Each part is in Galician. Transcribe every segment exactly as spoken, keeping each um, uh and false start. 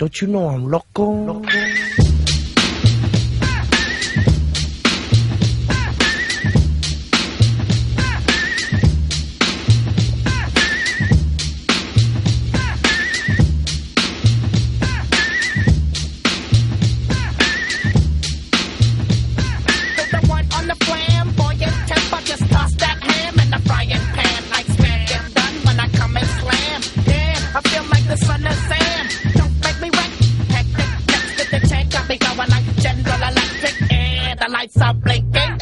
Don't you know I'm loco? loco.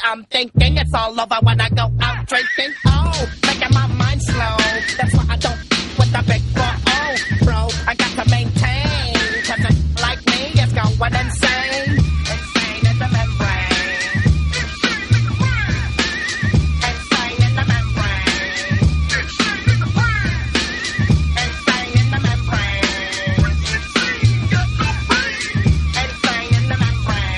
I'm thinking it's all over when I go out drinking. Oh, making my mind slow. That's why I don't with the big four oh, bro. I got to maintain, cause a like me is going insane. Insane in the membrane. Insane in the membrane. Insane in the membrane. Insane in the membrane.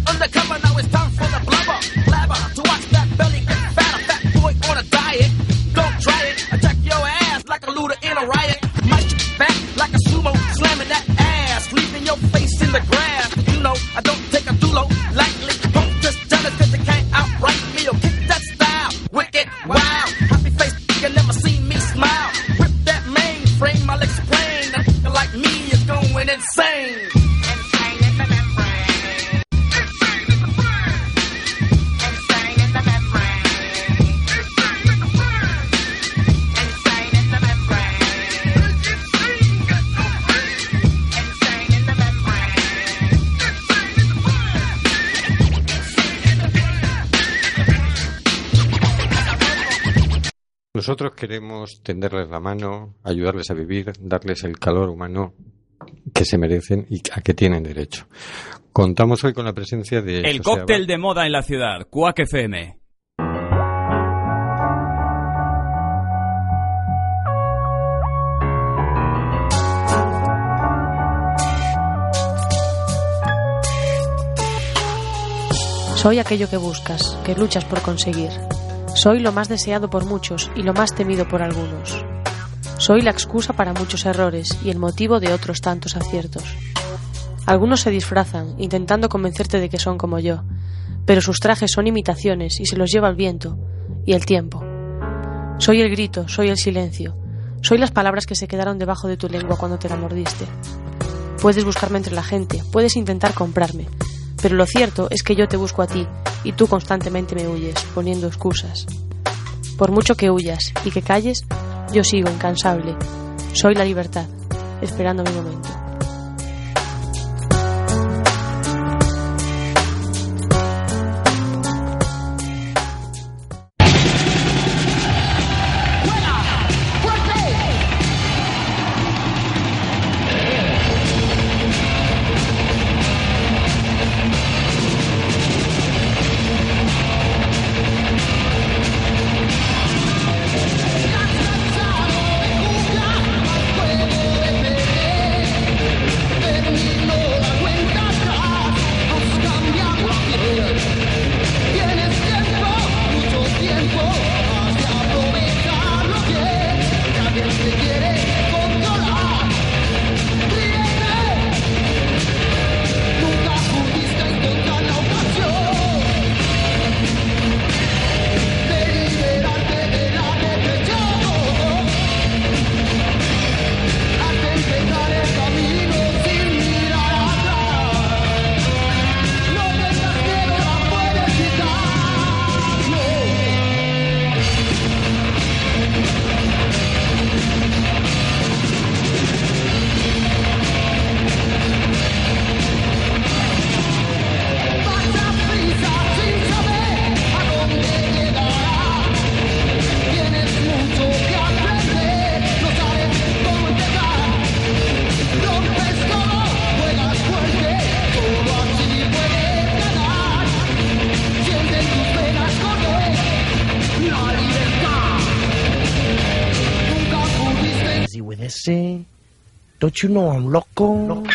Undercover, now it's time for the blubber. Blabber, to watch that belly get fatter. Fat boy on a diet. Don't try it. Attack your ass like a looter in a riot. My shit back like a sumo, slamming that ass. Leaving your face in the grass. You know, I don't take a dulo lightly. Don't just jealous cause they can't outright me. Or kick that style. Wicked, wow. Happy face, you never see me smile. Rip that mainframe, I'll explain. A nigga like me is going insane. Nosotros queremos tenderles la mano, ayudarles a vivir, darles el calor humano que se merecen y a que tienen derecho. Contamos hoy con la presencia de... El José cóctel Abad. de moda en la ciudad, Quack F M. Soy aquello que buscas, que luchas por conseguir. Soy lo más deseado por muchos y lo más temido por algunos. Soy la excusa para muchos errores y el motivo de otros tantos aciertos. Algunos se disfrazan, intentando convencerte de que son como yo, pero sus trajes son imitaciones y se los lleva el viento y el tiempo. Soy el grito, soy el silencio, soy las palabras que se quedaron debajo de tu lengua cuando te la mordiste. Puedes buscarme entre la gente, puedes intentar comprarme, pero lo cierto es que yo te busco a ti y tú constantemente me huyes, poniendo excusas. Por mucho que huyas y que calles, yo sigo incansable. Soy la libertad, esperando mi momento. Don't you know I'm loco? loco.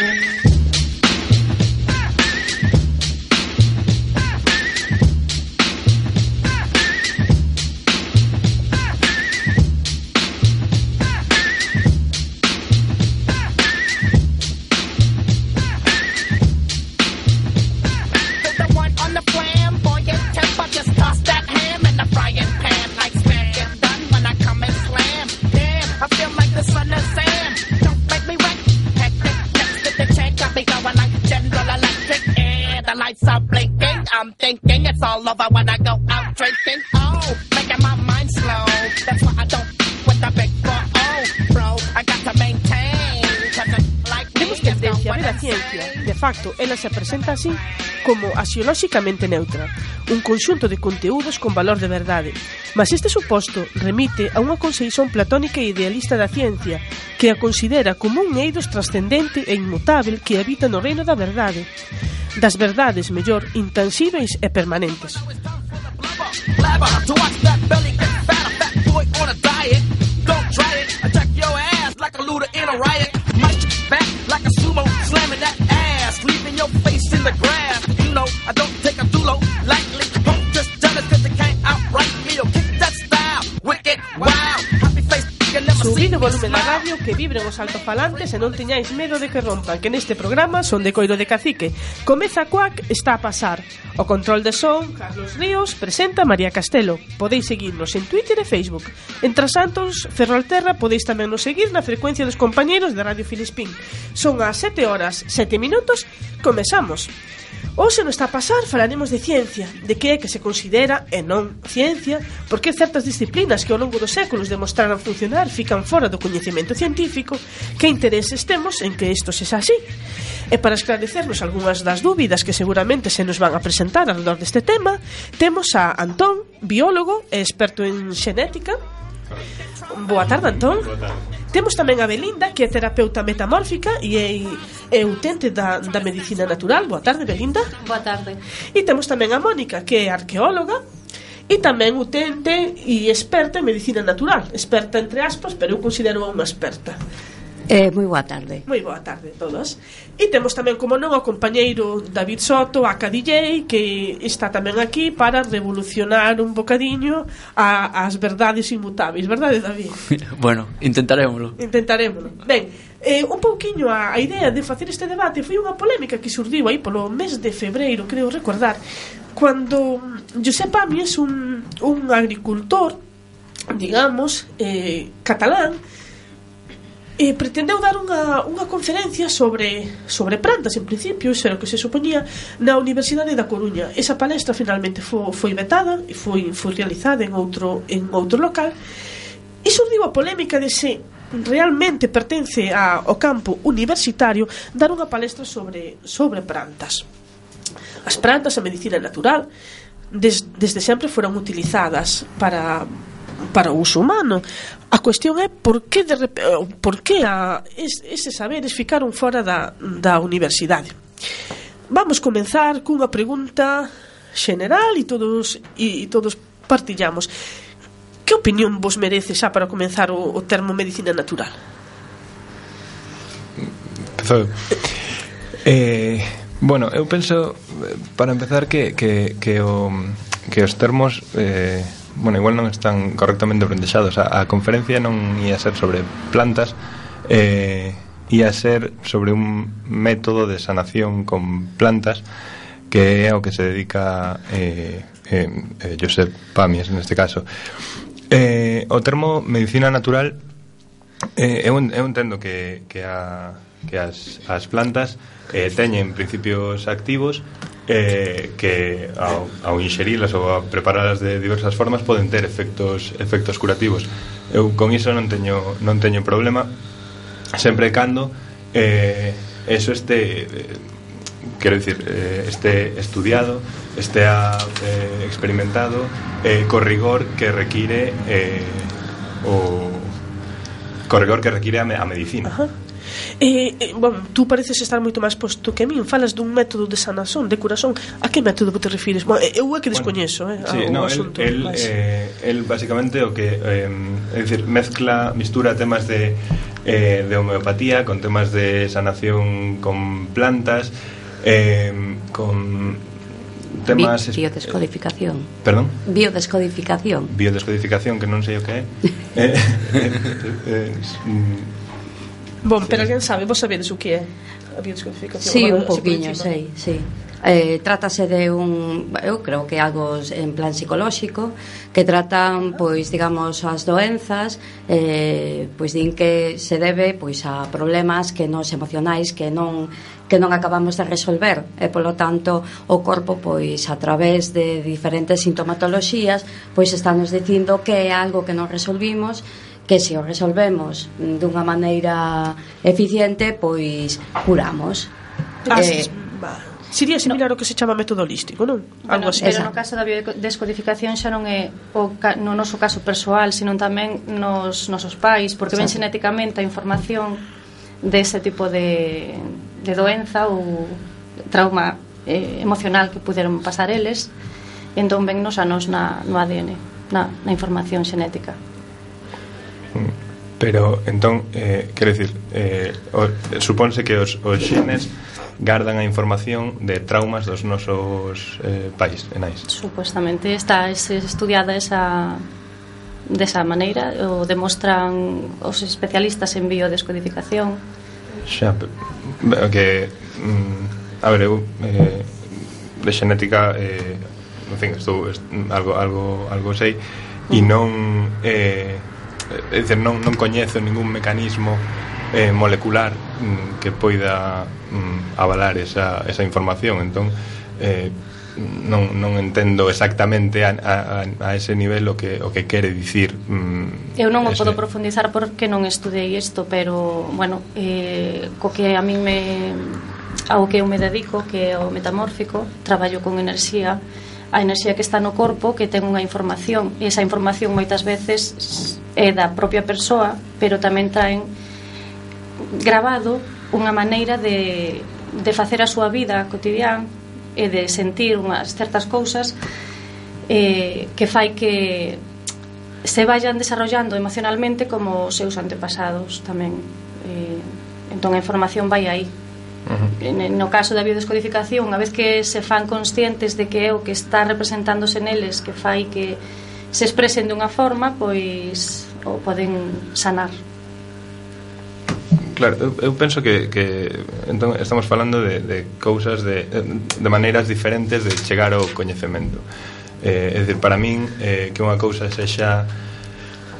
General Electric, and the lights are blinking. I'm thinking it's all over when I go out drinking. Oh, making my mind slow. That's why I don't with the big four. Oh, bro, I got to maintain. Temos tendencia a ver a ciencia, de facto, ela se presenta así como axiolóxicamente neutra, un conxunto de conteúdos con valor de verdade. Mas este suposto remite a unha conceizón platónica e idealista da ciencia, que a considera como un eidos trascendente e inmutável que habita no reino da verdade, das verdades, mellor, intansíveis e permanentes. Like a sumo, slamming that ass, leaving your face in the grass. You know, I don't take a dulo lightly. Don't just tell it cause they can't outright me or kick that style. Wicked, wow, happy face, you never see Subid o me volumen da smile. radio, que vibren os altofalantes e non teñáis medo de que rompan, que neste programa son de coiro de cacique. Comeza Cuac, está a pasar. O control de son, Carlos Ríos, presenta María Castelo. Podéis seguirnos en Twitter e Facebook. Entre Santos, Ferrolterra, podéis tamén nos seguir na frecuencia dos compañeiros de Radio Filispín. Son as sete horas, sete minutos, comezamos. Hoxe non está a pasar, falaremos de ciencia, de que é que se considera e non ciencia, porque certas disciplinas que ao longo dos séculos demostraran funcionar fican fora do coñecemento científico, que intereses temos en que isto sexa así. E para esclarecernos algunhas das dúbidas que seguramente se nos van a presentar alrededor deste tema, temos a Antón, biólogo e experto en xenética. Boa tarde, Antón. Boa tarde. Temos tamén a Belinda, que é terapeuta metamórfica e é, é utente da, da medicina natural. Boa tarde, Belinda. Boa tarde. E temos tamén a Mónica, que é arqueóloga e tamén utente e experta en medicina natural. Experta entre aspas, pero eu considero unha experta. Eh, moi boa tarde. Moi boa tarde a todos. E temos tamén, como non, o compañeiro David Soto, a D J, que está tamén aquí para revolucionar un bocadiño a, as verdades inmutables. Verdade, David? Bueno, intentarémoslo. Intentarémoslo. Ben, eh, un pouquiño a, a idea de facer este debate foi unha polémica que surdiu aí polo mes de febreiro, creo recordar, cando Josep Pàmies, un, un agricultor, digamos, eh, catalán, E pretendeu dar unha, unha conferencia sobre, sobre plantas, en principio, iso era o que se supoñía, na Universidade da Coruña. Esa palestra finalmente foi, foi vetada e foi, foi realizada en outro, en outro local. E surdiu a polémica de se realmente pertence ao campo universitario dar unha palestra sobre, sobre plantas. As plantas, a medicina natural, des, desde sempre foron utilizadas para... para o uso humano. A cuestión é por que, de rep... por que a es, eses saberes ficaron fora da, da universidade. Vamos comenzar cunha pregunta general e todos, e, e todos partillamos. Que opinión vos merece xa para comenzar o, o termo medicina natural? Empezou. Eh, bueno, eu penso, para empezar, que, que, que, o, que os termos... Eh, bueno, igual non están correctamente brandexados. A, a conferencia non ia ser sobre plantas, eh, ia ser sobre un método de sanación con plantas, que é ao que se dedica eh, eh, eh, Josep Pàmies neste caso. Eh, o termo medicina natural, eh, eu, eu entendo que, que, a, que as, as plantas eh, teñen principios activos eh, que ao, ao inxerilas ou a preparalas de diversas formas poden ter efectos efectos curativos. Eu con iso non teño non teño problema, sempre e cando eh, eso este eh, quero dicir, eh, este estudiado, este eh, experimentado, eh, co rigor que require eh, o co rigor que require a, me, a medicina. Ajá. Eh, eh, bueno, tú pareces estar moito máis posto que a min. Falas dun método de sanación, de curación. A que método te refires? Bueno, eu é que descoñezo, bueno, eh, sí, no, asunto, el, el, eh, el basicamente o que eh, é dicir, mezcla, mistura temas de eh, de homeopatía con temas de sanación con plantas, eh, con temas Bi- biodescodificación. Perdón? Biodescodificación. Biodescodificación, que non sei o que é. eh, eh, eh, eh, Bon, pero alguén sabe, vos sabedes o que é a biodescodificación? Sí, Bueno, un pouquiño, así por encima. sei, sí. Eh, trátase de un, eu creo que algo en plan psicolóxico, que tratan, pois, digamos, as doenzas, eh, pois din que se debe, pois, a problemas que nos emocionais que non que non acabamos de resolver, e polo tanto o corpo, pois, a través de diferentes sintomatoloxías, pois estános dicindo que é algo que non resolvimos, que se o resolvemos dunha maneira eficiente, pois curamos. Ah, eh, Sería similar ao que se chama método holístico, non? Bueno, Algo así. pero no caso da biodescodificación xa non é o ca, no noso caso persoal, sino tamén nos nosos pais, porque ven xenéticamente a información dese tipo de, de doenza ou trauma eh, emocional que puderon pasar eles, entón vennos a nos na, no A D N, na, na información xenética. Pero, entón, eh, quero dicir, eh, o, supónse que os, os xenes gardan a información de traumas dos nosos eh, pais e nais. Supuestamente está estudiada esa desa maneira, o demostran os especialistas en biodescodificación. Xa, que mm, a ver, eu eh, de xenética eh, en fin, estou est, algo, algo, algo sei e non eh, é dicir, non, non coñezo ningún mecanismo eh, molecular mm, que poida mm, avalar esa, esa información, entón eh, non, non entendo exactamente a, a, a ese nivel o que, o que quere dicir mm, eu non o ese... podo profundizar porque non estudei isto, pero bueno, eh, co que a mí me ao que eu me dedico, que é o metamórfico, traballo con enerxía, a enerxía que está no corpo, que ten unha información, e esa información moitas veces é da propia persoa, pero tamén traen grabado unha maneira de, de facer a súa vida cotidiana e de sentir unhas certas cousas eh, que fai que se vayan desarrollando emocionalmente como os seus antepasados tamén. Eh, entón a información vai aí. Uh-huh. No caso da biodescodificación, unha vez que se fan conscientes de que é o que está representándose neles que fai que se expresen dunha forma, pois o poden sanar. Claro, eu, eu penso que, que entón estamos falando de, de cousas de, de maneiras diferentes de chegar ao coñecemento. Eh, é dicir, para min eh, que unha cousa sexa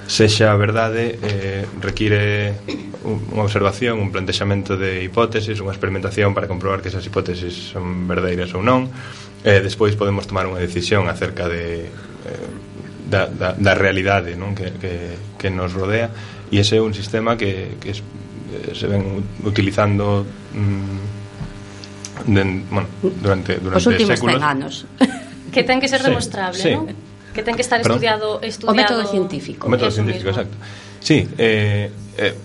sexa verdade eh, require unha observación, un plantexamento de hipótesis, unha experimentación para comprobar que esas hipótesis son verdadeiras ou non. Eh, despois podemos tomar unha decisión acerca de eh, da, da, da realidade, non? Que, que, que nos rodea, e ese é un sistema que, que es, se ven utilizando mm, de, bueno, durante, durante os últimos séculos. cen anos. Que ten que ser Sí, demostrable, sí. non? Que ten que estar Perdón? estudiado, estudiado O método científico. O método Eso científico, mismo. exacto. Sí, eh, eh,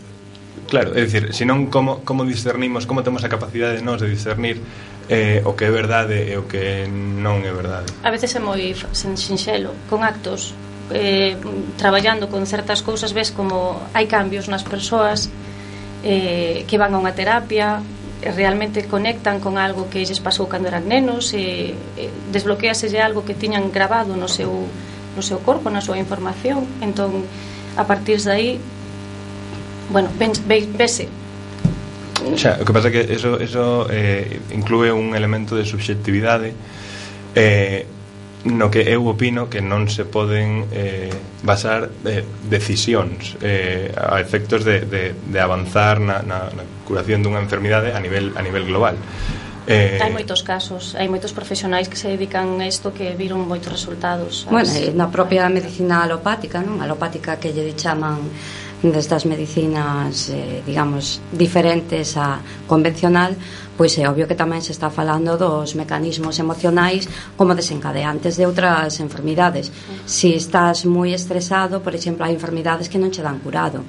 claro, é dicir, senón como, como discernimos, como temos a capacidade de nós de discernir eh, o que é verdade e o que non é verdade. A veces é moi sinxelo, con actos eh, traballando con certas cousas, ves como hai cambios nas persoas eh, que van a unha terapia, realmente conectan con algo que lles pasou cando eran nenos, e, e desbloqueaselle algo que tiñan grabado no seu, no seu corpo, na súa información. Entón, a partir de aí, bueno, ven, ve, vese. Xa, o que pasa é que eso, eso eh, inclúe un elemento de subxectividade eh, no que eu opino que non se poden eh, basar eh, decisións eh, a efectos de, de, de avanzar na, na, na curación dunha enfermidade a nivel, a nivel global. Eh, Hai moitos casos, hai moitos profesionais que se dedican a isto que viron moitos resultados. Bueno, e na propia medicina alopática, non? Alopática que lle chaman destas medicinas, eh, digamos, diferentes a convencional, pois é obvio que tamén se está falando dos mecanismos emocionais como desencadeantes de outras enfermidades. Si estás moi estresado, por exemplo, hai enfermidades que non che dan curado.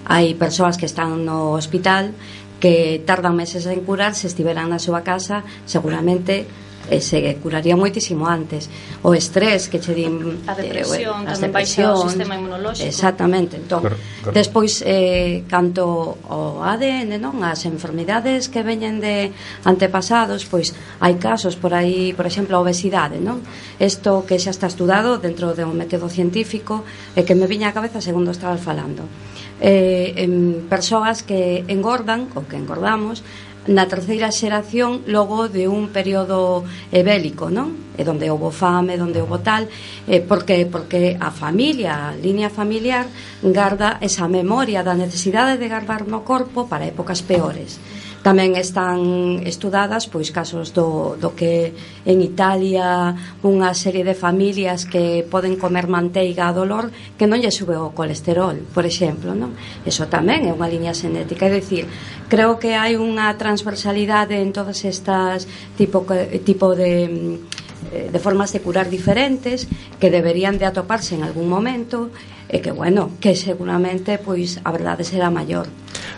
Hai persoas que están no hospital que tardan meses en curar, se estiveran na súa casa, seguramente eh, se curaría moitísimo antes. O estrés que che din, a depresión, eh, as tamén baixa o depresións, sistema inmunolóxico. exactamente. Entón, Corre, corre. despois eh, canto o A D N, non, as enfermidades que veñen de antepasados, pois hai casos por aí, por exemplo, a obesidade, non? Isto que xa está estudado dentro de un método científico e que me viña á cabeza segundo estaba falando. eh, en persoas que engordan ou que engordamos na terceira xeración logo de un período eh, bélico, non? E donde houve fame, donde houve tal, eh, porque porque a familia, a línea familiar garda esa memoria da necesidade de guardar no corpo para épocas peores. Tamén están estudadas pois casos do, do que en Italia unha serie de familias que poden comer manteiga a dolor que non lle sube o colesterol, por exemplo, non? Eso tamén é unha liña xenética, é dicir, creo que hai unha transversalidade en todas estas tipo, tipo de, de formas de curar diferentes que deberían de atoparse en algún momento e que, bueno, que seguramente pois a verdade será maior.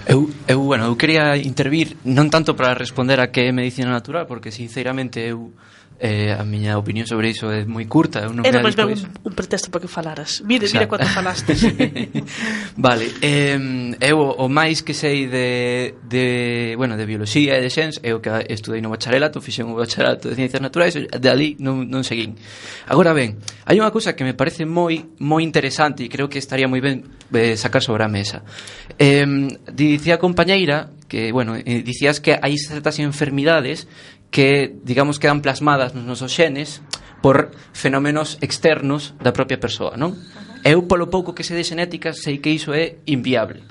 Eu, eu, bueno, eu quería intervir non tanto para responder a que é medicina natural, porque sinceramente eu eh, a miña opinión sobre iso é moi curta. Eu non Era máis ben un, un pretexto para que falaras. Mire, mire cuánto falaste. Vale, eh, eu o máis que sei de, de, bueno, de bioloxía e de xens é o que estudei no bacharelato, fixen o bacharelato de ciencias naturais, de ali non, non seguín. Agora ben, hai unha cousa que me parece moi moi interesante e creo que estaría moi ben eh, sacar sobre a mesa. Eh, dicía a compañeira que, bueno, eh, dicías que hai certas enfermidades que, digamos, quedan plasmadas nos nosos xenes por fenómenos externos da propia persoa, non? Eu, polo pouco que sei de xenética, sei que iso é inviable.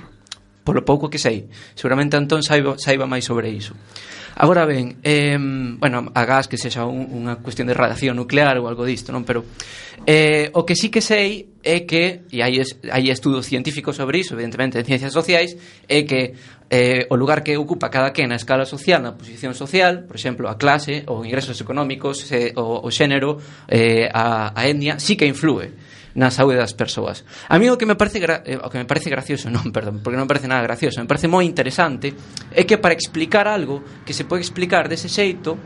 Polo pouco que sei. Seguramente Antón saiba, saiba máis sobre iso. Agora ben, eh, bueno, agás que sexa un, unha cuestión de radiación nuclear ou algo disto, non? Pero eh, o que sí que sei é que, e hai, es, hai estudos científicos sobre iso, evidentemente en ciencias sociais, é que eh, o lugar que ocupa cada quen na escala social, na posición social, por exemplo, a clase, ou ingresos económicos, eh, o, o xénero, eh, a, a etnia, sí que influe na saúde das persoas. A mí o que me parece gra- eh, o que me parece gracioso, non, perdón, porque non me parece nada gracioso, me parece moi interesante é que para explicar algo que se pode explicar dese xeito,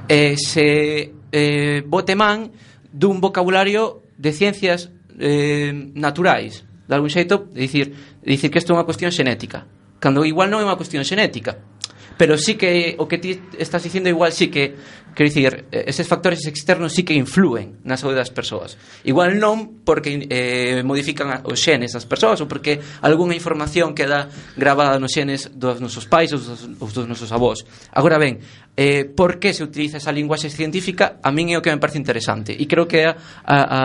eh, se eh, bote man dun vocabulario de ciencias eh, naturais, de algún xeito, de dicir, de dicir que isto é unha cuestión xenética, cando igual non é unha cuestión xenética, pero sí que o que ti estás dicindo igual sí que, quero dicir, eses factores externos sí que influen na saúde das persoas. Igual non porque eh, modifican os xenes das persoas ou porque algunha información queda grabada nos xenes dos nosos pais ou dos, ou dos nosos avós. Agora ben, eh, por que se utiliza esa linguaxe científica? A min é o que me parece interesante e creo que é a, a,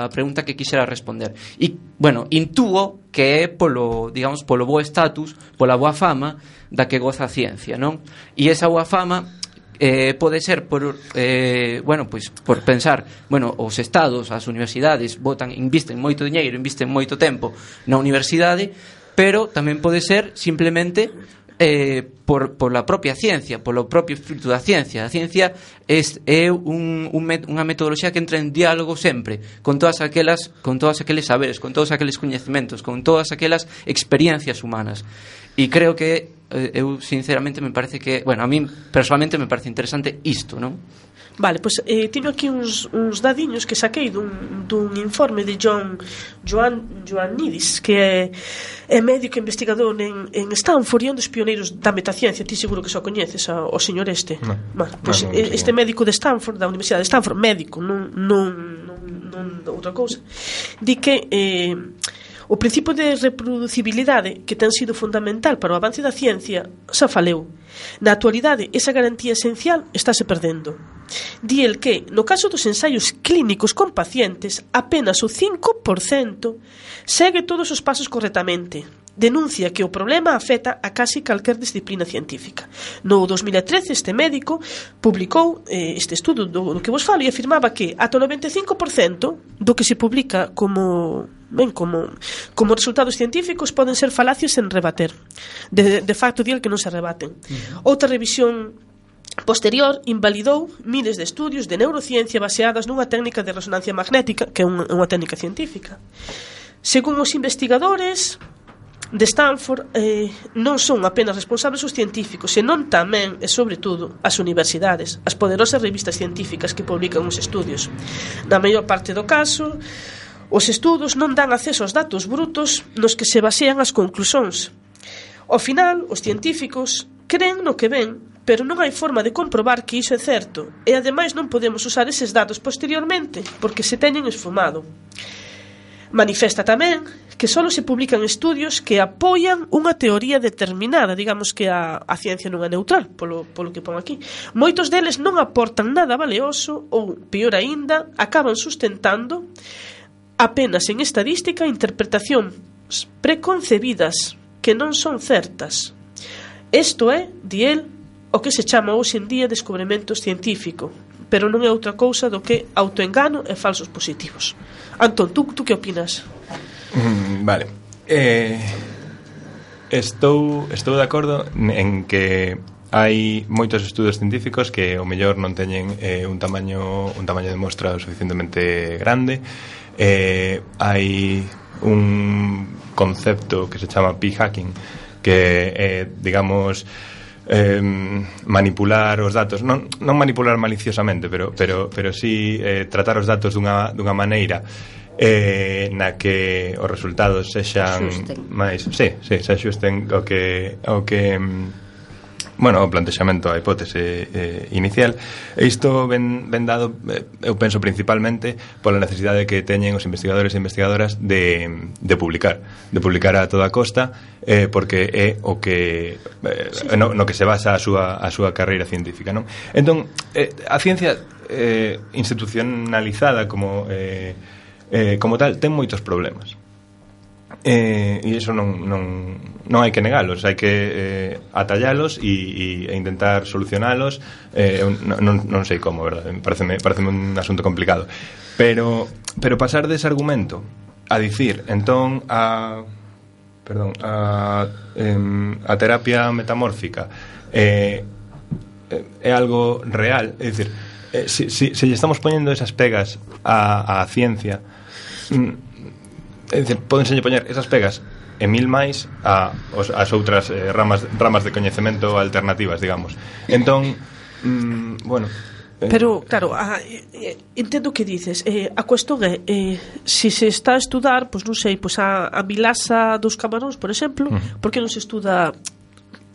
a pregunta que quixera responder. E, bueno, intúo que é polo, digamos, polo bo estatus, pola boa fama da que goza a ciencia, non? E esa boa fama eh, pode ser por, eh, bueno, pois, por pensar, bueno, os estados, as universidades botan, invisten moito diñeiro, invisten moito tempo na universidade, pero tamén pode ser simplemente eh, por, por la propia ciencia, polo propio espírito da ciencia. A ciencia é, é un, un met, unha metodoloxía que entra en diálogo sempre con todas aquelas, con todos aqueles saberes, con todos aqueles coñecementos, con todas aquelas experiencias humanas. E creo que eh, eu sinceramente me parece que, bueno, a mí personalmente me parece interesante isto, non? Vale, pois pues, eh, teño aquí uns, uns dadiños que saquei dun, dun informe de John Joan, Joannidis, que é, é médico investigador en, en Stanford e un dos pioneiros da metaciencia. Ti seguro que só coñeces a, o señor este. No. Bueno, pois, pues, no, no, este médico de Stanford, da Universidade de Stanford, médico, non, non, non, non outra cousa, di que eh, o principio de reproducibilidade que ten sido fundamental para o avance da ciencia xa faleu. Na actualidade, esa garantía esencial estáse perdendo. Di el que, no caso dos ensaios clínicos con pacientes, apenas o cinco por cento segue todos os pasos correctamente. Denuncia que o problema afecta a casi calquer disciplina científica. No dos mil e trece, este médico publicou eh, este estudo do, do que vos falo e afirmaba que ata o noventa e cinco por cento do que se publica como, ben, como, como resultados científicos poden ser falacias sen rebater. De, de facto, di el que non se rebaten. Uh-huh. Outra revisión posterior invalidou miles de estudios de neurociencia baseadas nunha técnica de resonancia magnética, que é unha, unha técnica científica. Según os investigadores de Stanford, eh, non son apenas responsables os científicos, senón tamén e sobre todo as universidades, as poderosas revistas científicas que publican os estudios. Na maior parte do caso, os estudos non dan acceso aos datos brutos nos que se basean as conclusións. Ao final, os científicos creen no que ven, pero non hai forma de comprobar que iso é certo, e ademais non podemos usar eses datos posteriormente porque se teñen esfumado. Manifesta tamén que solo se publican estudios que apoian unha teoría determinada, digamos que a, a ciencia non é neutral, polo, polo que pon aquí. Moitos deles non aportan nada valioso ou, pior aínda, acaban sustentando apenas en estadística interpretacións preconcebidas que non son certas. Isto é, di el, o que se chama hoxe en día descubrimento científico, pero non é outra cousa do que autoengano e falsos positivos. Antón, tú, tú que opinas? Mm, vale. Eh, estou, estou de acordo en que hai moitos estudos científicos que o mellor non teñen eh, un tamaño un tamaño de mostra suficientemente grande. Eh, hai un concepto que se chama p-hacking, que é, digamos, eh, manipular os datos, non, non manipular maliciosamente, pero, pero, pero sí eh, tratar os datos dunha, dunha maneira eh, na que os resultados sexan máis, sí, sí, se axusten o que o que bueno, o plantexamento, a hipótese eh, inicial. E isto ben, ben dado, eh, eu penso principalmente pola necesidade que teñen os investigadores e investigadoras de, de publicar de publicar a toda costa, eh, porque é o que eh, no, no que se basa a súa, a súa carreira científica, non? Entón, eh, a ciencia eh, institucionalizada como eh, eh, como tal ten moitos problemas. Eh, e iso non, non, non hai que negalos, hai que eh, atallalos e, e intentar solucionalos. eh, non, non sei como, verdad? Pareceme, pareceme un asunto complicado, pero, pero pasar dese argumento a dicir entón a perdón a, eh, a terapia metamórfica eh, é algo real, é dicir, eh, se si, si, si estamos poñendo esas pegas á, á ciencia, mm, é dicir, pódense poñer esas pegas e mil máis a os, as outras eh, ramas, ramas de coñecemento alternativas, digamos. Entón, mm, bueno, eh, pero, claro, a, eh, entendo o que dices. eh, A cuestión é eh, se se está a estudar, pois non sei, pois a, a milasa dos camaróns, por exemplo, uh-huh. por que non se estuda?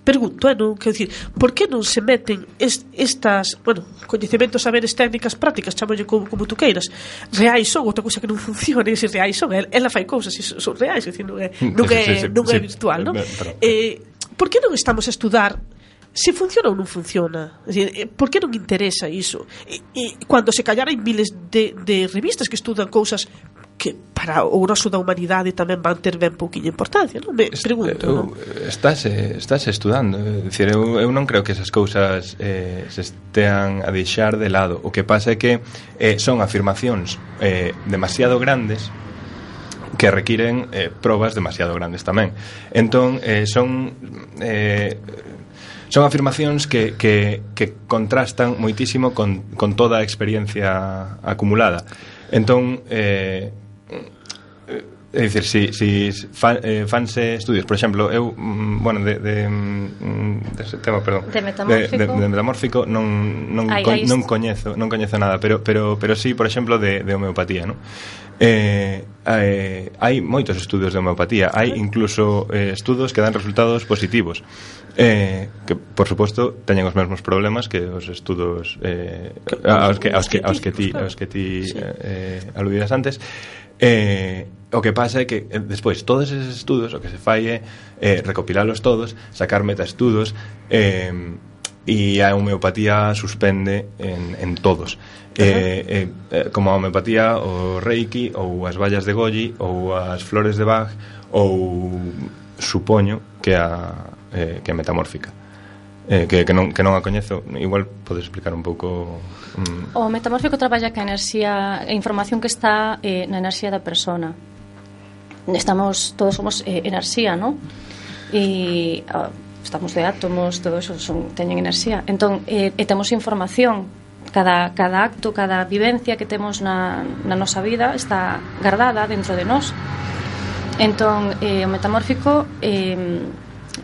Pregunto, eh, non, quero dicir, por que non se meten est, estas, bueno, coñecementos, saberes, técnicas, prácticas, chamolle como, como tú queiras, reais son, outra cousa que non funciona, e se reais son, ela fai cousas e son reais, é dicir, non é, non é, sí, sí, sí, non é sí, virtual, non? Eh, por que non estamos a estudar se funciona ou non funciona? É dicir, por que non interesa iso? E, e cando se callar hai miles de, de revistas que estudan cousas que para o grosso da humanidade tamén van ter ben pouquinha importancia, non? Me pregunto, non? Estás, estás estudando, é dicir, eu, eu non creo que esas cousas eh, se estean a deixar de lado. O que pasa é que eh, son afirmacións eh, demasiado grandes que requiren eh, probas demasiado grandes tamén. Entón, eh, son eh, son afirmacións que, que, que contrastan moitísimo con, con toda a experiencia acumulada. Entón, eh, é dicir, si, si fan, eh, fanse estudios, por exemplo, eu, mm, bueno, de, de, mm, de ese tema, perdón, de metamórfico, de, de, de metamórfico non, non, ai, co, ai, non coñezo, non coñezo nada, pero, pero, pero sí, por exemplo, de, de homeopatía, non? Eh, eh, hai moitos estudios de homeopatía, hai incluso eh, estudos que dan resultados positivos, eh, que, por suposto, teñen os mesmos problemas que os estudos eh, aos que, aos que, aos que ti, aos que ti sí. eh, aludidas antes. Eh, o que pasa é que eh, despois todos esos estudos o que se fai é eh, recopilalos todos, sacar metaestudos, eh, e a homeopatía suspende en, en todos. Eh, eh, como a homeopatía, o reiki, ou as vallas de Goji, ou as flores de Bach, ou supoño que a, eh, que a metamórfica. Eh, que, que, non, que non a coñezo. Igual podes explicar un pouco. mm. O metamórfico traballa ca enerxía, a información que está eh, na enerxía da persona. Estamos, todos somos eh, enerxía, non? E ah, estamos de átomos, todo eso son, teñen enerxía. Entón, eh, e temos información. Cada, cada acto, cada vivencia que temos na, na nosa vida está guardada dentro de nós. Entón, eh, o metamórfico eh,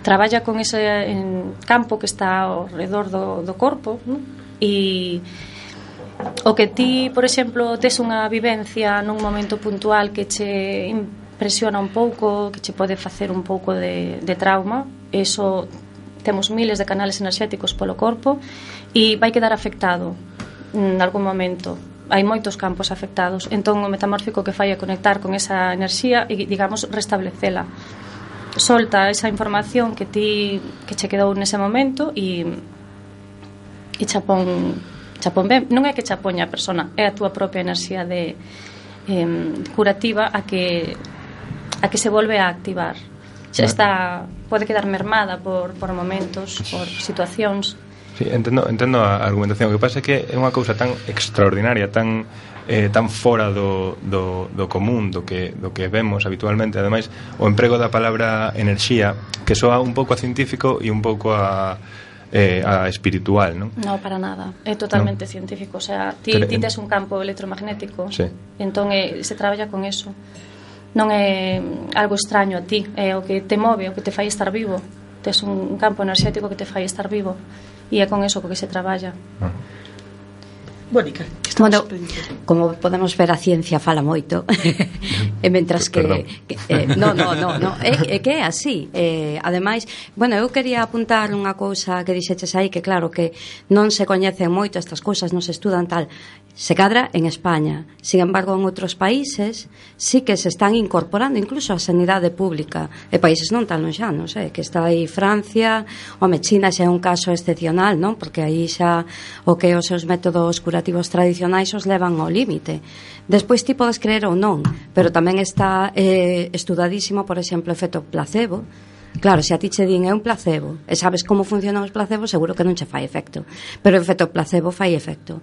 traballa con ese en campo que está ao redor do, do corpo, non? E o que ti, por exemplo, tes unha vivencia nun momento puntual que che impresiona un pouco, que che pode facer un pouco de, de trauma, eso temos miles de canales enerxéticos polo corpo e vai quedar afectado en algún momento. hai moitos campos afectados. Entón o metamórfico que fai é conectar con esa enerxía e, digamos, restablecela. Solta esa información que ti que che quedou nese momento e e chapón chapón ben, non é que chapoña a persona, é a túa propia enerxía de eh, curativa a que a que se volve a activar. Xa está, pode quedar mermada por, por momentos, por situacións. Sí, entendo, entendo a argumentación. O que pasa é que é unha cousa tan extraordinaria, tan eh, tan fora do, do, do común, do que, do que vemos habitualmente. Ademais, o emprego da palabra enerxía, que soa un pouco a científico e un pouco a, eh, a espiritual, non? No, para nada. É totalmente no. científico. O sea, ti, ti tes un campo electromagnético, sí. Entón eh, se traballa con eso. Non é algo extraño a ti, é o que te move, o que te fai estar vivo. Tes un campo enerxético que te fai estar vivo. E é con eso co que se traballa. Ah. Mónica, bueno, como podemos ver, a ciencia fala moito. E mentras que, que eh, no, no, no, no é, é que é así. Eh, ademais, bueno, eu quería apuntar unha cousa que dixeches aí, que claro que non se coñecen moito estas cousas, non se estudan tal. Se cadra en España. Sin embargo, en outros países sí que se están incorporando incluso a sanidade pública. E países non tan lonxanos, eh, que está aí Francia, home, China xa é un caso excepcional, non? Porque aí xa o que os seus métodos curativos tradicionais os levan ao límite. Despois ti podes creer ou non, pero tamén está eh, estudadísimo, por exemplo, o efecto placebo. Claro, se a ti che din é un placebo e sabes como funcionan os placebos, seguro que non che fai efecto, pero o efecto placebo fai efecto.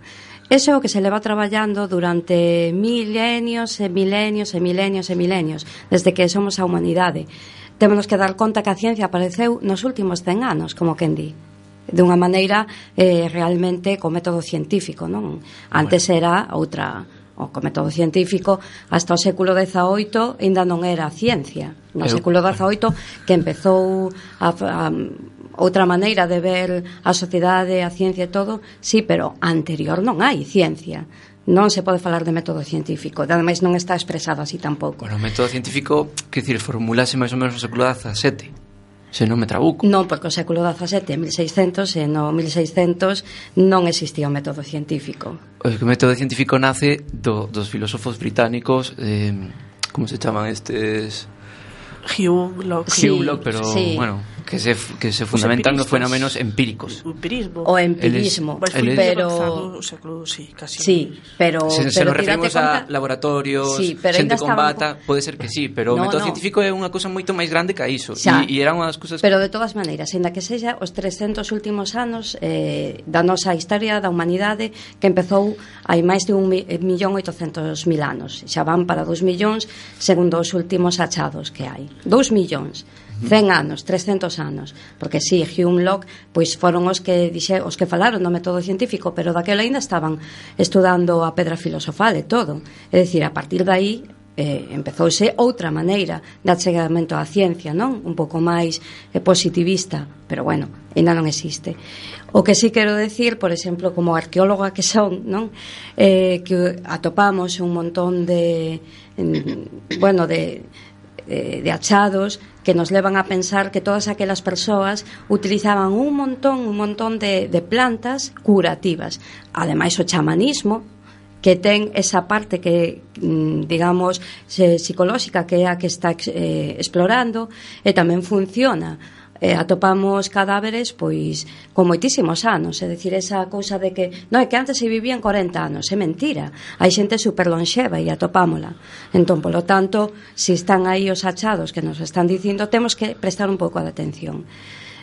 Eso é o que se leva traballando durante milenios e milenios e milenios e milenios, desde que somos a humanidade. Témonos que dar conta que a ciencia apareceu nos últimos cen anos, como quen di, de unha maneira eh, realmente co método científico, non? Antes era outra, o co método científico, hasta o século dezaoito ainda non era ciencia. No século dezaoito que empezou a, a outra maneira de ver a sociedade, a ciencia e todo, sí, pero anterior non hai ciencia. Non se pode falar de método científico, ademais non está expresado así tampouco. Bueno, o método científico, que dicir, formulase máis ou menos no século dezasete. Se non me trabuco. Non, porque o século dezasete, mil seiscentos, e no mil seiscentos non existía o método científico. O método científico nace do, dos filósofos británicos, eh, como se chaman estes... Hume, Locke. Hume, Locke, pero, sí. bueno... que se, que se fundamentan nos fenómenos empíricos. O empirismo. O empirismo. Eles, pero... O século, sí, casi. Sí, pero... Se, se pero nos referimos conta... a laboratorios, sí, xente con bata, un... pode ser que sí, pero no, o método no. científico é unha cousa moito máis grande que a iso. E, e era unha das cousas... Pero de todas maneiras, ainda que sexa os trescentos últimos anos eh, da nosa historia da humanidade, que empezou hai máis de un millón oitocentos mil anos. Xa van para dos millóns, segundo os últimos achados que hai. Dos millóns. cen anos, trescentos anos, porque si, sí, Hume, Locke, pois foron os que dixe, os que falaron do método científico, pero daquela ainda estaban estudando a pedra filosofal e todo. É dicir, a partir de aí eh, empezouse outra maneira de achegamento á ciencia, non? Un pouco máis eh, positivista, pero bueno, ainda non existe. O que sí quero decir, por exemplo, como arqueóloga que son, non? Eh, que atopamos un montón de en, bueno, de de achados que nos levan a pensar que todas aquelas persoas utilizaban un montón, un montón de, de plantas curativas. Ademais, o chamanismo, que ten esa parte que, digamos, psicolóxica, que é a que está eh, explorando, e tamén funciona. Eh, atopamos cadáveres pois con moitísimos anos, é dicir, esa cousa de que non, é que antes se vivían corenta anos, é mentira, hai xente super lonxeva e atopámola. Entón, polo tanto, se están aí os achados que nos están dicindo, temos que prestar un pouco de atención.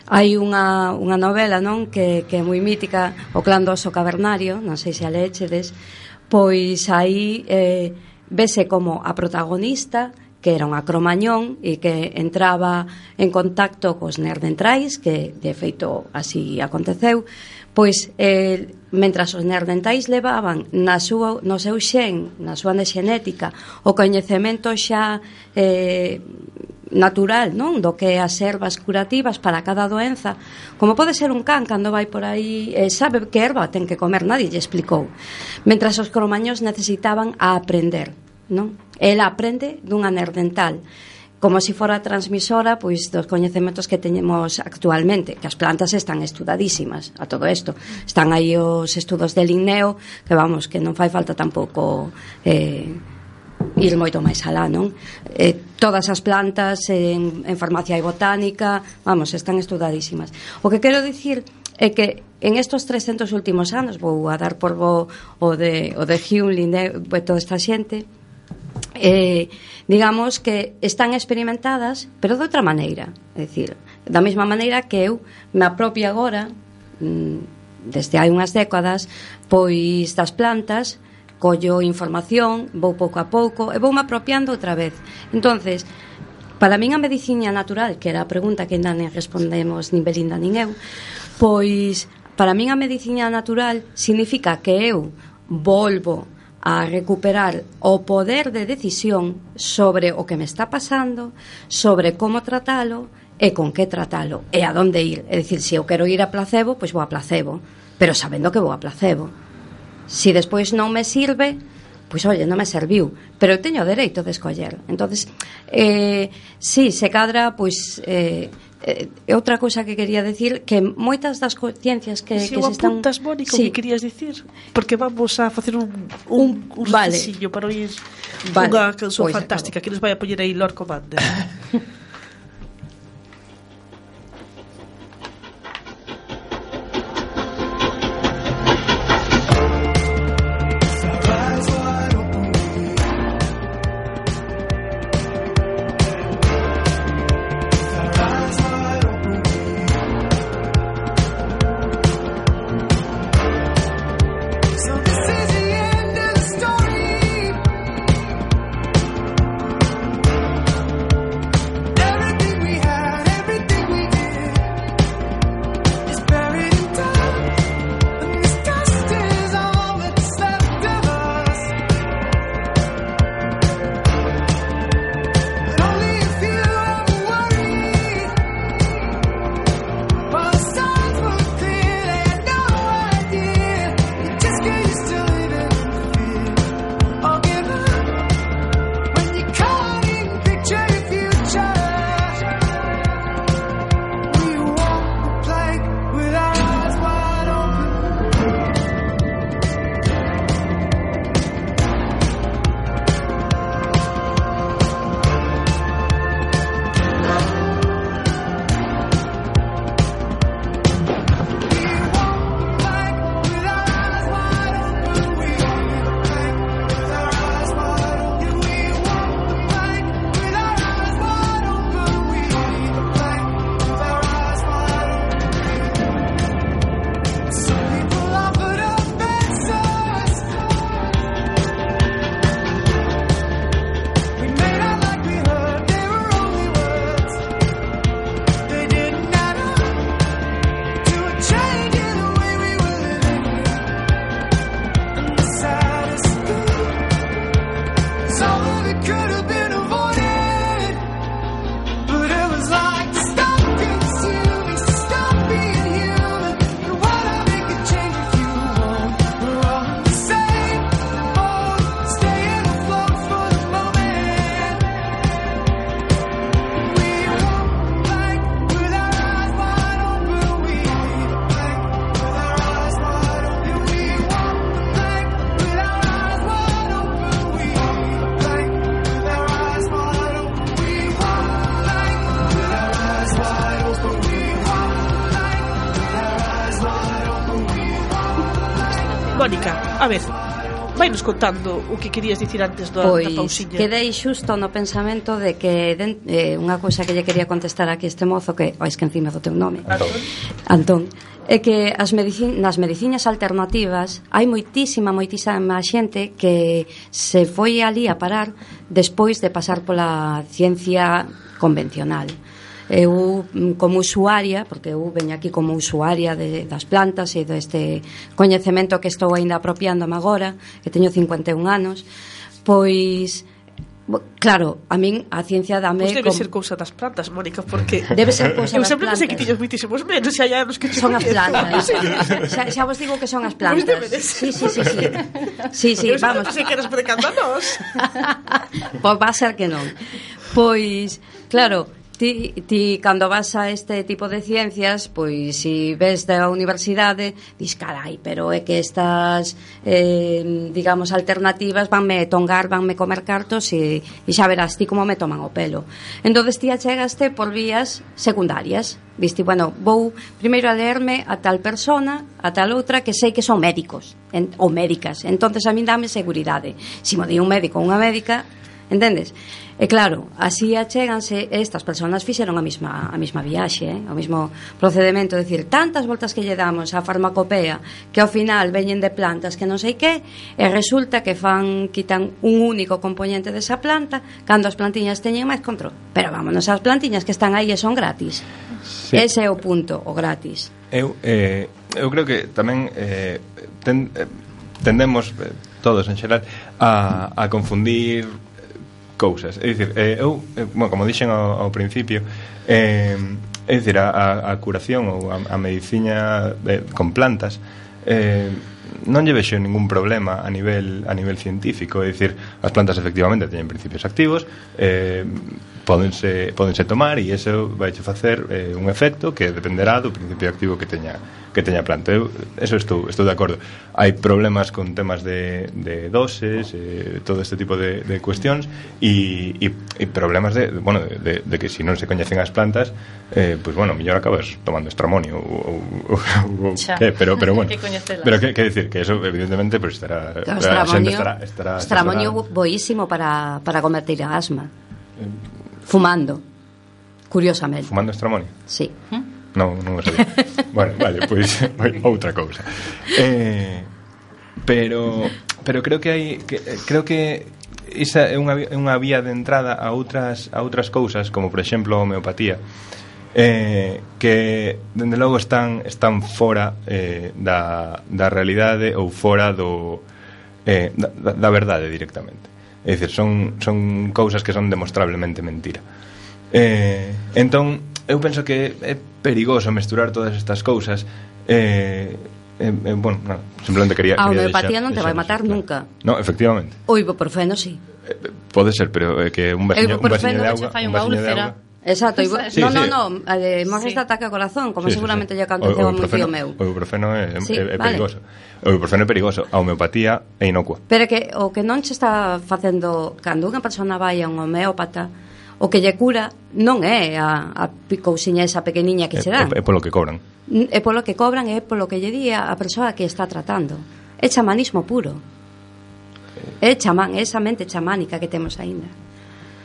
Hai unha, unha novela, non, que, que é moi mítica, O clan do oso cavernario, non sei se a lechedes, pois aí eh, vese como a protagonista, que era unha cromañón e que entraba en contacto cos neandertais, que de feito así aconteceu, pois eh, mentras os neandertais levaban na súa, no seu xen, na súa xenética, o coñecemento xa eh, natural, non? Do que as ervas curativas para cada doenza, como pode ser un can cando vai por aí, eh, sabe que erva ten que comer, nadie lle explicou. Mentras os cromañóns necesitaban a aprender, non? Ela aprende dunha neandertal como se si fora transmisora pois dos coñecementos que teñemos actualmente, que as plantas están estudadísimas a todo isto. Están aí os estudos de Linneo, que vamos, que non fai falta tampouco eh, ir moito máis alá, non? Eh, todas as plantas en, en farmacia e botánica, vamos, están estudadísimas. O que quero dicir é que en estos trescentos últimos anos, vou a dar por bo o de, o de Hume, Linneo, toda esta xente, eh, digamos que están experimentadas, pero de outra maneira, é dicir, da mesma maneira que eu me apropio agora, desde hai unhas décadas, pois das plantas, collo información, vou pouco a pouco e vou me apropiando outra vez. Entonces, para min a medicina natural, que era a pregunta que ainda non respondemos nin Belinda nin eu, pois para min a medicina natural significa que eu volvo a recuperar o poder de decisión sobre o que me está pasando, sobre como tratalo e con que tratalo e a donde ir. É dicir, se eu quero ir a placebo, pois vou a placebo, pero sabendo que vou a placebo. Se despois non me sirve, pois, oye, non me serviu, pero eu teño o dereito de escoller. Entonces, eh, sí, se cadra, pois... Eh, Eh, outra cousa que quería decir, que moitas das ciencias que, si que se están... apuntas, Mónica, sí. o que querías dicir, porque vamos a facer un un, un vale. recicillo para oír vale. unha canción Pois fantástica acabo. que nos vai a poñer aí Lord Commander. Mónica, a ver, vainos contando o que querías dicir antes da, pois, da pausiña. Quedei xusto no pensamento de que den, eh, unha cousa que lle quería contestar aquí este mozo, que, oh, es que encima do teu nome Antón, Antón, é que as medicin, nas medicinas alternativas hai moitísima, moitísima xente que se foi ali a parar despois de pasar pola ciencia convencional. Eu, como usuaria, porque eu veño aquí como usuaria de, das plantas e deste coñecemento que estou ainda apropiándome agora, que teño cincuenta e un anos, pois, claro, a min a ciencia dame... Pois debe como... ser cousa das plantas, Mónica, porque... Debe ser cousa eu das sempre plantas. pensei que tiñas moitísimos menos, xa hai anos que... Son as plantas. xa, xa vos digo que son as plantas. Sí, sí, sí, sí. Sí, sí, eu vamos. Eu sempre pensei que eras predicando a nós. Pois va a ser que non. Pois, claro, ti, ti cando vas a este tipo de ciencias, pois si ves da universidade, dis, carai, pero é que estas eh, digamos, alternativas vanme tongar, vanme comer cartos e, e xa verás ti como me toman o pelo. Entonces ti achegaste por vías secundarias. Diste, bueno, vou primeiro a leerme a tal persona, a tal outra que sei que son médicos en, ou médicas. Entonces a min dame seguridade. Si mo di un médico ou unha médica, entendes? E claro, así achéganse, estas persoas fixeron a mesma a mesma viaxe, eh? O mesmo procedimento, é dicir, tantas voltas que lle damos á farmacopea que ao final veñen de plantas que non sei que, e resulta que fan quitan un único componente desa planta cando as plantiñas teñen máis control. Pero vámonos, as plantiñas que están aí e son gratis. Sí. Ese é o punto, o gratis. Eu, eh, eu creo que tamén eh, ten, eh, tendemos eh, todos en xeral a, a confundir cousas. É dicir, eh, eu, eh, bueno, como dixen ao, ao principio, eh, é dicir, a, a curación ou a, a medicina eh, con plantas eh, non lle vexo ningún problema a nivel a nivel científico. É dicir, as plantas efectivamente teñen principios activos, eh, pódense, pódense tomar e iso vai facer eh, un efecto que dependerá do principio activo que teña que teña a planta. Eu, eso estou, estou de acordo. Hai problemas con temas de, de doses, eh, todo este tipo de, de cuestións e, e, e problemas de, bueno, de, de que se si non se coñecen as plantas, eh, pues bueno, mellor acabas tomando estramonio ou, ou, ou que, pero, pero bueno, pero que, que decir, que eso evidentemente pues estará, claro, estramonio, estará, estará, estramonio estará... boísimo para, para combatir a asma. Fumando, curiosamente. Fumando estramonio? Sí. Non, non o sabía. Bueno, vale, pois pues, outra cousa. Eh, pero pero creo que hai que, creo que esa é unha unha vía de entrada a outras a outras cousas, como por exemplo a homeopatía. Eh, que dende logo están están fora eh, da da realidade ou fora do eh, da, da verdade directamente. É dicir, son son cousas que son demostrablemente mentira. Eh, entón eu penso que é perigoso mesturar todas estas cousas. eh, eh, eh, bueno, no, simplemente quería a quería homeopatía deixar, non te vai matar nunca. No, efectivamente. O ibuprofeno sí. Eh, pode ser, pero é eh, que un vasiño, un vasiño de agua, un vasiño de agua. Exacto, ibu... sí, no, sí. no, no, además sí. Está ataque ao corazón, como sí, seguramente sí, sí. Lle aconteceu a moi tío meu. O ibuprofeno é, sí, é, é vale. perigoso. O ibuprofeno é perigoso, a homeopatía é inocua. Pero que o que non se está facendo cando unha persona vai a un homeópata, o que lle cura non é a, a cousiña esa pequeniña que é, se dan. É, é polo que cobran. É polo que cobran e é polo que lle di a persoa que está tratando. É chamanismo puro. É chamán, é esa mente chamánica que temos aínda.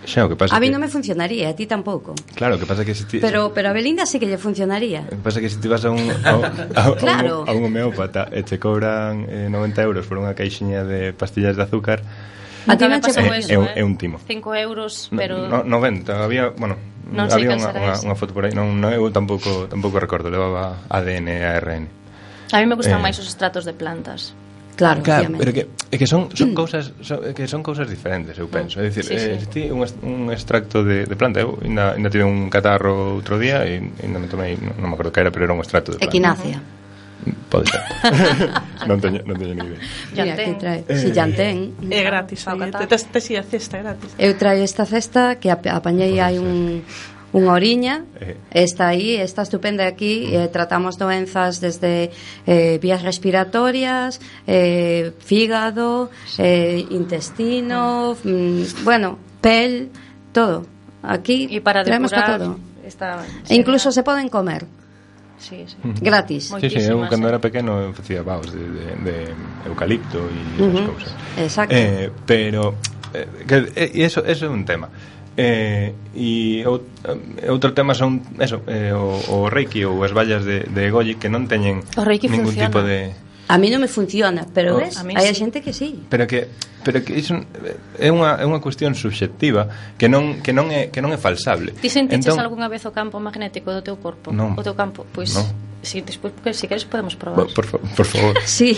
Xa, o que pasa a mí que... non me funcionaría, a ti tampouco. Claro, o que pasa que se ti... Pero, pero a Belinda sí que lle funcionaría. O que pasa que se ti vas a un, a, a, claro. a, un, a un homeópata e te cobran eh, noventa euros por unha caixinha de pastillas de azúcar. A ti non che pasou eso, é, eh? é un timo. cinco euros, pero... No, noventa, había, bueno, non había unha, unha, unha foto por aí, non, non, eu tampouco, tampouco recordo, levaba A D N e A R N. A mí me gustan eh, máis os extractos de plantas. Claro, claro, pero que é que son son cousas son, que son cousas diferentes, eu penso. É dicir, sí, eh, sí. Ti un, un extracto de, de planta, eu ainda ainda tive un catarro outro día e ainda me tomei, non, non me acordo que era, pero era un extracto de planta. Equinacia. Pode ser. non teño non teño ni idea. Mira, que trae. Si Llantén. É gratis, tes tes a cesta gratis. Eu traio esta cesta que apañei hai un unha oriña, está aí, está estupenda aquí, eh, tratamos doenzas desde eh, vías respiratorias, eh, fígado, eh, intestino, mm, bueno, pel, todo. Aquí y para traemos para todo. Está, e incluso se poden comer. Sí, sí. Gratis. Sí, sí, eu cando era pequeno facía vaos de, de, de eucalipto e uh-huh. esas cousas. Exacto. Eh, pero eh, que, eh, eso, eso é un tema. Eh, e outro tema son eso, eh, o, o reiki ou as vallas de, de Goyi que non teñen ningún funciona. tipo de... A mí non me funciona, pero Oh. hai sí. xente que sí. Pero que pero que iso é unha é unha cuestión subxectiva que non que non é que non é falsable. Ti sentiches entón, algunha vez o campo magnético do teu corpo? Non, o teu campo, pois non. si, despois, porque, si queres podemos probar. Por, por, por favor. Sí,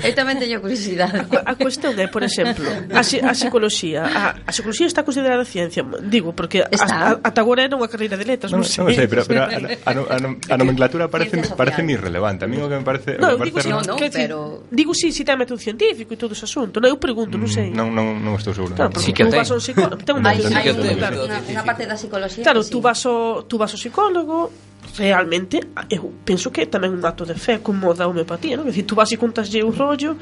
eu tamén teño curiosidade. A cuestión é, por exemplo, a, a psicoloxía. A, a psicoloxía está considerada ciencia, digo, porque ata agora era unha carreira de letras, non, non sei. Non sei, pero, pero a, a, a, a nomenclatura parece parece moi irrelevante. A mí o que me parece, no, me digo, parece sí, no, no, pero digo sí, si ten método científico e todo ese asunto. Non, eu pregunto, non sei. Non, non, non estou seguro. Claro, porque tú vas ao psicólogo, ten un método científico. Unha parte da psicoloxía. Claro, tú vas ao tú vas ao psicólogo. Realmente, eu penso que é tamén un acto de fe como da homeopatía, non? É dicir, tú vas e contaslle o rollo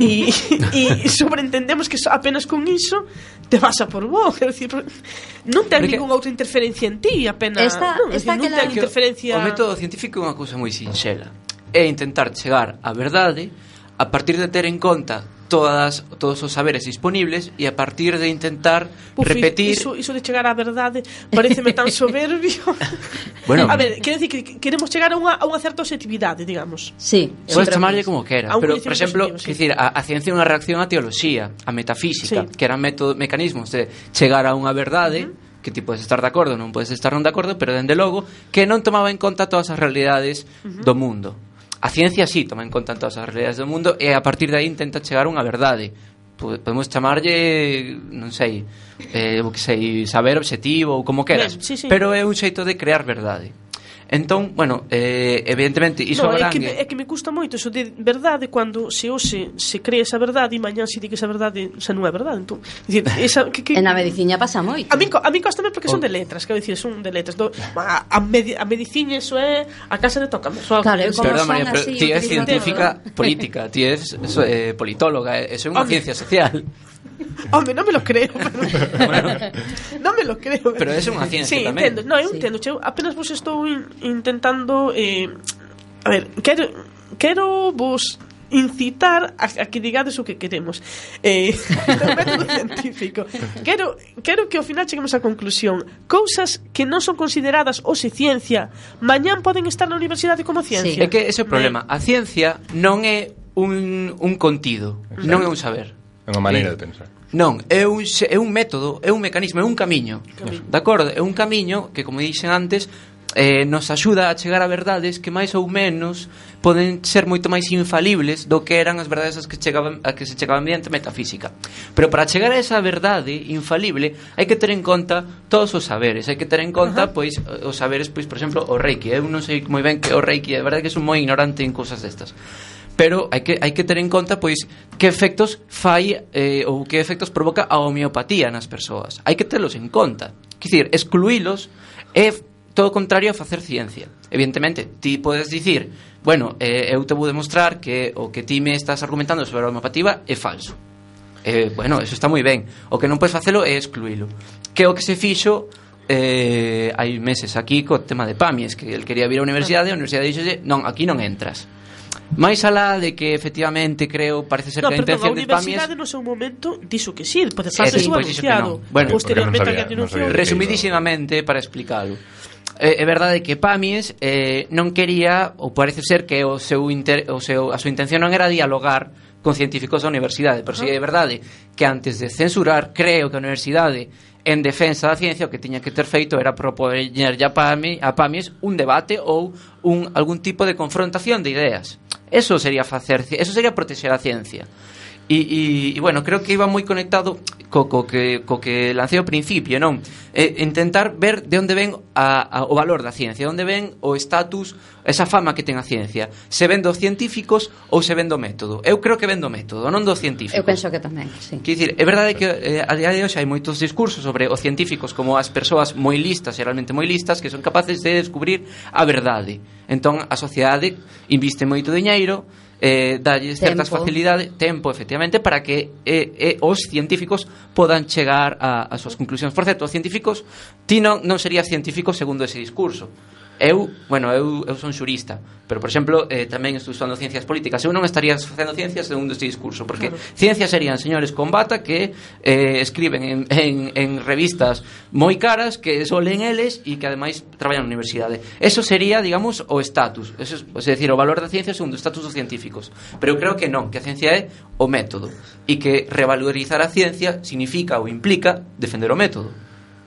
e, e sobreentendemos que apenas con iso te vas a por bo, é dicir, non ten ninguna outra interferencia en ti, apenas esta, non, esta decir, non ten interferencia. O método científico é unha cousa moi sinxela, é intentar chegar á verdade a partir de ter en conta todas todos os saberes disponibles e a partir de intentar Uf, repetir iso, iso de chegar á verdade pareceme tan soberbio. Bueno, a ver, quero dicir que queremos chegar a unha, a unha certa objetividade, digamos. Sí, podes chamarlle como queras, pero por exemplo, positivo, sí. decir, a, a ciencia é unha reacción á teoloxía, a metafísica, sí. que eran método, mecanismos de chegar a unha verdade, uh-huh. que ti podes estar de acordo, non podes estar non de acordo, pero dende logo que non tomaba en conta todas as realidades uh-huh. do mundo. A ciencia sí toma en conta todas as realidades do mundo e a partir de aí intenta chegar a unha verdade. Podemos chamarlle, non sei, eh, o que sei, saber obxectivo ou como queras, ben, sí, sí. pero é un xeito de crear verdade. Entón, bueno, eh, evidentemente iso no, é que, abrangue... é que me custa moito eso de verdade cando se hoxe se cree esa verdade e mañán se di que esa verdade xa non é verdade. Entón, dicir, esa, que, que... En a medicina pasa moito. A mí, a mí costame porque son de letras, quero dicir, son de letras. Do, a, a, medi, a medicina eso é a casa de toca. Claro, Perdón, María, pero ti é científica política, ti é eh, politóloga, eso é unha ciencia social. Home, non me lo creo, pero... bueno, non me lo creo. Pero é unha ciencia sí, tamén. Entendo. No, eu sí. entendo, eu apenas vos estou in, intentando eh, a ver, quero quero vos incitar a, a que digades o que queremos. Eh, o método científico. Quero quero que ao final cheguemos á conclusión. Cousas que non son consideradas hoxe ciencia, mañán poden estar na universidade como ciencia. Sí. É que ese é o problema. A ciencia non é un, un contido, exacto. Non é un saber. É unha maneira de pensar. Non, é un, é un método, é un mecanismo, é un camiño. Camiño. De acordo? É un camiño que, como dixen antes, eh, nos axuda a chegar a verdades que máis ou menos poden ser moito máis infalibles do que eran as verdades as que chegaban, a que se chegaban mediante metafísica. Pero para chegar a esa verdade infalible hai que ter en conta todos os saberes, hai que ter en conta, uh-huh. pois, os saberes, pois, por exemplo, o Reiki. Eu non sei moi ben que o Reiki, é verdade que son moi ignorante en cousas destas. Pero hai que, hai que ter en conta pois que efectos fai eh, ou que efectos provoca a homeopatía nas persoas. Hai que telos en conta. Quer dizer, excluílos é todo o contrario a facer ciencia. Evidentemente, ti podes dicir, bueno, eh, eu te vou demostrar que o que ti me estás argumentando sobre a homeopatía é falso. Eh, bueno, eso está moi ben. O que non podes facelo é excluílo. Que o que se fixo eh, hai meses aquí co tema de Pamies, que el quería vir á universidade, a universidade dixolle, non, aquí non entras. máis alá de que efectivamente creo parece ser no, que a intención de Pamies... A universidade no seu momento dixo que sí, pode facer sí, su anunciado. No. Bueno, posteriormente no sabía, no sabía resumidísimamente para explicalo. É, é verdade que Pamies eh, non quería, ou parece ser que o seu inter, o seu, a súa intención non era dialogar con científicos da universidade, pero si é verdade que antes de censurar, creo que a universidade en defensa da ciencia o que tiña que ter feito era propoñer a Pamies, a Pamies un debate ou un, algún tipo de confrontación de ideas. Eso sería facer, eso sería protexer a ciencia. E, e, e bueno, creo que iba moi conectado co, co, que, co que lancei ao principio, non? Eh, intentar ver de onde ven a, a, o valor da ciencia, de onde ven o estatus, esa fama que ten a ciencia. Se ven dos científicos ou se ven do método. Eu creo que ven do método, non dos científicos. Eu penso que tamén, sí. Quer dicir, é verdade que eh, a día de hoxe hai moitos discursos sobre os científicos como as persoas moi listas, e realmente moi listas, que son capaces de descubrir a verdade. Entón, a sociedade inviste moito diñeiro, eh, dalle certas facilidades, tempo, efectivamente, para que eh, eh, os científicos podan chegar a, a súas conclusións. Por certo, os científicos, ti non, non serías científico segundo ese discurso. Eu, bueno, eu, eu son xurista, pero, por exemplo, eh, tamén estou estudando ciencias políticas. Eu non estaría facendo ciencias segundo este discurso, porque claro, ciencias serían señores con bata que eh, escriben en, en, en revistas moi caras, que só leen eles e que ademais traballan na universidade. Eso sería, digamos, o estatus, eso é, é dicir, o valor da ciencia segundo o estatus dos científicos. Pero eu creo que non, que a ciencia é o método, e que revalorizar a ciencia significa ou implica defender o método,